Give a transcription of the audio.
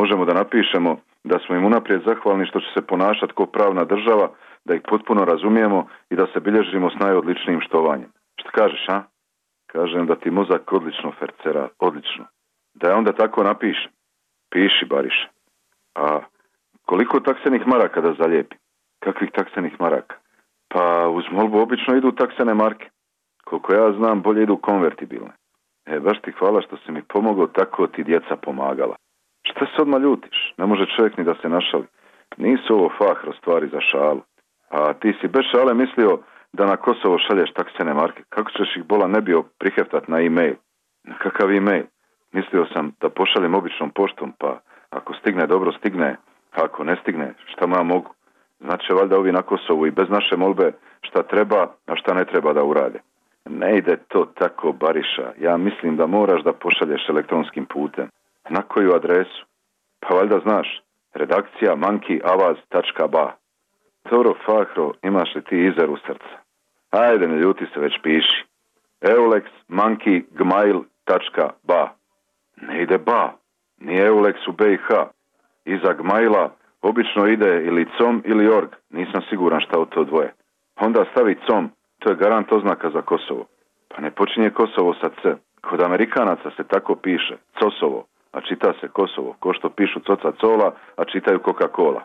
možemo da napišemo da smo im unaprijed zahvalni što će se ponašati kao pravna država, da ih potpuno razumijemo i da se bilježimo s najodličnijim štovanjem. Šta kažeš, a? Kažem da ti mozak odlično fercera, odlično. Da je onda tako napišem. Piši, Bariše. A koliko taksenih maraka da zalijepi? Kakvih taksenih maraka? Pa uz molbu obično idu taksene marke. Koliko ja znam, bolje idu konvertibilne. Baš ti hvala što si mi pomogao, tako ti djeca pomagala. Šta se odmah ljutiš? Ne može čovjek ni da se našali. Nisu ovo Fahro stvari za šalu. A ti si bez šale mislio da na Kosovo šalješ taksene marke. Kako ćeš ih bola ne bio priheftat na e-mail? Na kakav e-mail? Mislio sam da pošaljem običnom poštom, pa ako stigne, dobro stigne, a ako ne stigne, šta ja mogu? Znači valjda ovi na Kosovu i bez naše molbe šta treba, a šta ne treba da urade. Ne ide to tako, Bariša. Ja mislim da moraš da pošalješ elektronskim putem. Na koju adresu? Pa valjda znaš. Redakcija monkeyavaz.ba. Dobro, Fahro, imaš li ti izer u srca? Ajde, ne ljuti se, već piši. eulexgmail.ba. Ne ide ba. Nije Eulex u BiH. Iza Gmaila obično ide ili com ili org. Nisam siguran šta od to dvoje. Onda stavi com. To je garant oznaka za Kosovo. Pa ne počinje Kosovo sa C. Kod Amerikanaca se tako piše. Cosovo. A čita se Kosovo. Ko što pišu Coca Cola, a čitaju Coca-Cola.